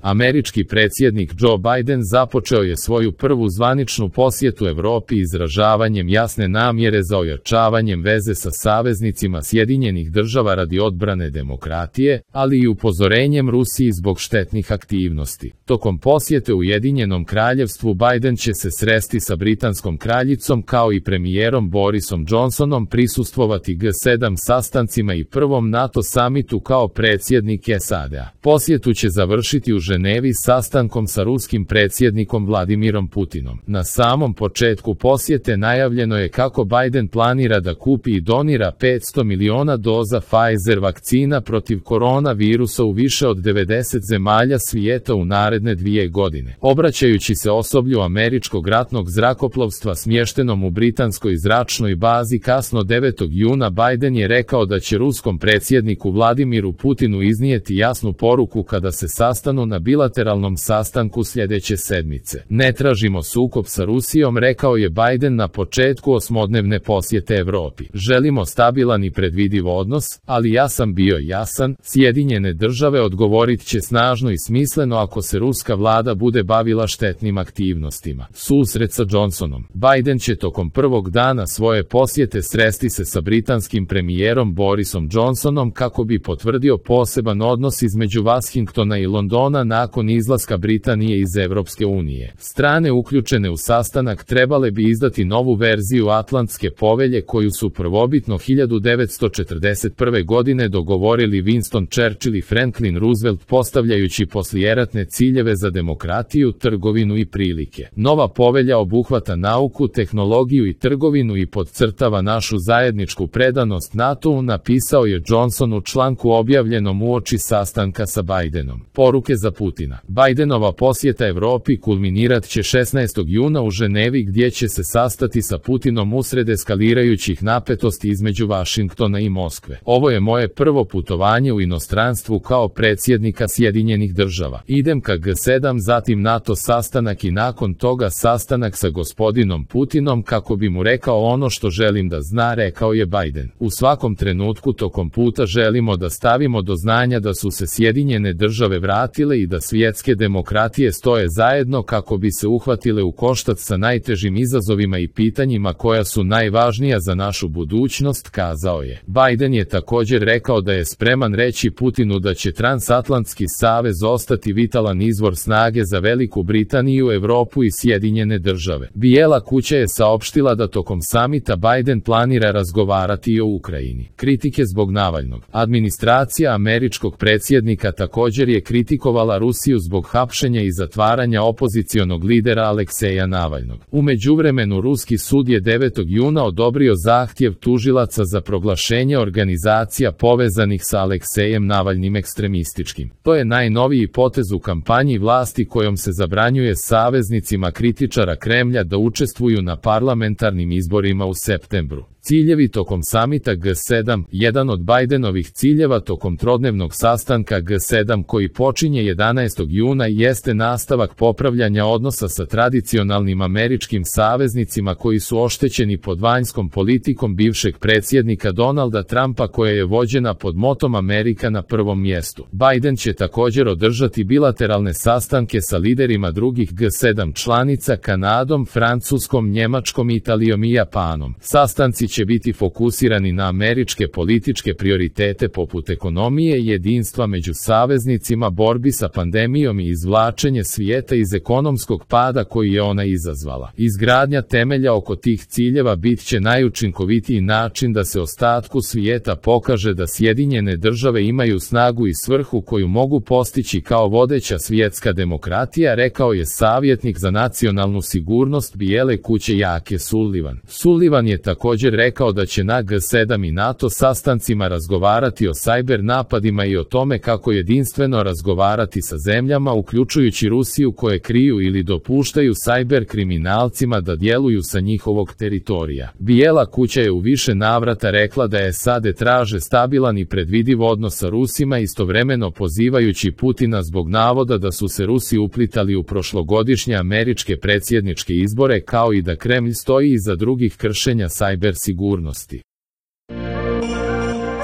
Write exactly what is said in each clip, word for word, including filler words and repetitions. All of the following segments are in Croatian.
Američki predsjednik Joe Biden započeo je svoju prvu zvaničnu posjetu Evropi izražavanjem jasne namjere za ojačavanjem veze sa saveznicima Sjedinjenih država radi odbrane demokratije, ali i upozorenjem Rusiji zbog štetnih aktivnosti. Tokom posjete Ujedinjenom kraljevstvu Biden će se sresti sa britanskom kraljicom kao i premijerom Borisom Johnsonom, prisustvovati G sedam sastancima i prvom NATO samitu kao predsjednik S A D-a. Posjetu će završiti u Ženevi sastankom sa ruskim predsjednikom Vladimirom Putinom. Na samom početku posjete najavljeno je kako Biden planira da kupi i donira petsto miliona doza Pfizer vakcina protiv koronavirusa u više od devedeset zemalja svijeta u naredne dvije godine. Obraćajući se osoblju američkog ratnog zrakoplovstva smještenom u britanskoj zračnoj bazi kasno devetog juna, Biden je rekao da će ruskom predsjedniku Vladimiru Putinu iznijeti jasnu poruku kada se sastanu na bilateralnom sastanku sljedeće sedmice. Ne tražimo sukob sa Rusijom, rekao je Biden na početku osmodnevne posjete Evropi. Želimo stabilan i predvidiv odnos, ali ja sam bio jasan, Sjedinjene države odgovorit će snažno i smisleno ako se ruska vlada bude bavila štetnim aktivnostima. Susret sa Johnsonom. Biden će tokom prvog dana svoje posjete sresti se sa britanskim premijerom Borisom Johnsonom kako bi potvrdio poseban odnos između Washingtona i Londona nakon izlaska Britanije iz Evropske unije. Strane uključene u sastanak trebale bi izdati novu verziju Atlantske povelje koju su prvobitno hiljadu devetsto četrdeset prve. godine dogovorili Winston Churchill i Franklin Roosevelt, postavljajući poslijeratne ciljeve za demokratiju, trgovinu i prilike. Nova povelja obuhvata nauku, tehnologiju i trgovinu i podcrtava našu zajedničku predanost NATO-u, napisao je Johnson u članku objavljenom uoči sastanka sa Bidenom. Poruke za Putina. Bidenova posjeta Evropi kulminirat će šesnaestog juna u Ženevi, gdje će se sastati sa Putinom usred eskalirajućih napetosti između Vašingtona i Moskve. Ovo je moje prvo putovanje u inostranstvu kao predsjednika Sjedinjenih država. Idem ka G sedam, zatim NATO sastanak i nakon toga sastanak sa gospodinom Putinom kako bi mu rekao ono što želim da zna, rekao je Biden. U svakom trenutku tokom puta želimo da stavimo do znanja da su se Sjedinjene države vratile i da svjetske demokratije stoje zajedno kako bi se uhvatile u koštac sa najtežim izazovima i pitanjima koja su najvažnija za našu budućnost, kazao je. Biden je također rekao da je spreman reći Putinu da će Transatlantski savez ostati vitalan izvor snage za Veliku Britaniju, Evropu i Sjedinjene države. Bijela kuća je saopštila da tokom samita Biden planira razgovarati i o Ukrajini. Kritike zbog Navalnog. Administracija američkog predsjednika također je kritikovala Rusiju zbog hapšenja i zatvaranja opozicionog lidera Alekseja Navalnog. U međuvremenu ruski sud je devetog juna odobrio zahtjev tužilaca za proglašenje organizacija povezanih sa Aleksejem Navalnim ekstremističkim. To je najnoviji potez u kampanji vlasti kojom se zabranjuje saveznicima kritičara Kremlja da učestvuju na parlamentarnim izborima u septembru. Ciljevi tokom samita G sedam. Jedan od Bidenovih ciljeva tokom trodnevnog sastanka G sedam koji počinje jedanaestog juna jeste nastavak popravljanja odnosa sa tradicionalnim američkim saveznicima koji su oštećeni pod vanjskom politikom bivšeg predsjednika Donalda Trumpa, koja je vođena pod motom Amerika na prvom mjestu. Biden će također održati bilateralne sastanke sa liderima drugih G sedam članica, Kanadom, Francuskom, Njemačkom, Italijom i Japanom. Sastanci će biti fokusirani na američke političke prioritete poput ekonomije, jedinstva među saveznicima, borbi sa pandemijom i izvlačenje svijeta iz ekonomskog pada koji je ona izazvala. Izgradnja temelja oko tih ciljeva bit će najučinkovitiji način da se ostatku svijeta pokaže da Sjedinjene države imaju snagu i svrhu koju mogu postići kao vodeća svjetska demokratija, rekao je savjetnik za nacionalnu sigurnost Bijele kuće Jake Sullivan. Sullivan je također rekao da će na G sedam i NATO sastancima razgovarati o sajber napadima i o tome kako jedinstveno razgovarati sa zemljama, uključujući Rusiju, koje kriju ili dopuštaju sajber kriminalcima da djeluju sa njihovog teritorija. Bijela kuća je u više navrata rekla da je S A D traže stabilan i predvidiv odnos sa Rusima, istovremeno pozivajući Putina zbog navoda da su se Rusi uplitali u prošlogodišnje američke predsjedničke izbore, kao i da Kremlj stoji iza drugih kršenja sajber sigurnosti.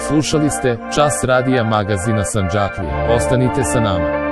Slušali ste Čas radija magazina Sandžaklija. Ostanite sa nama.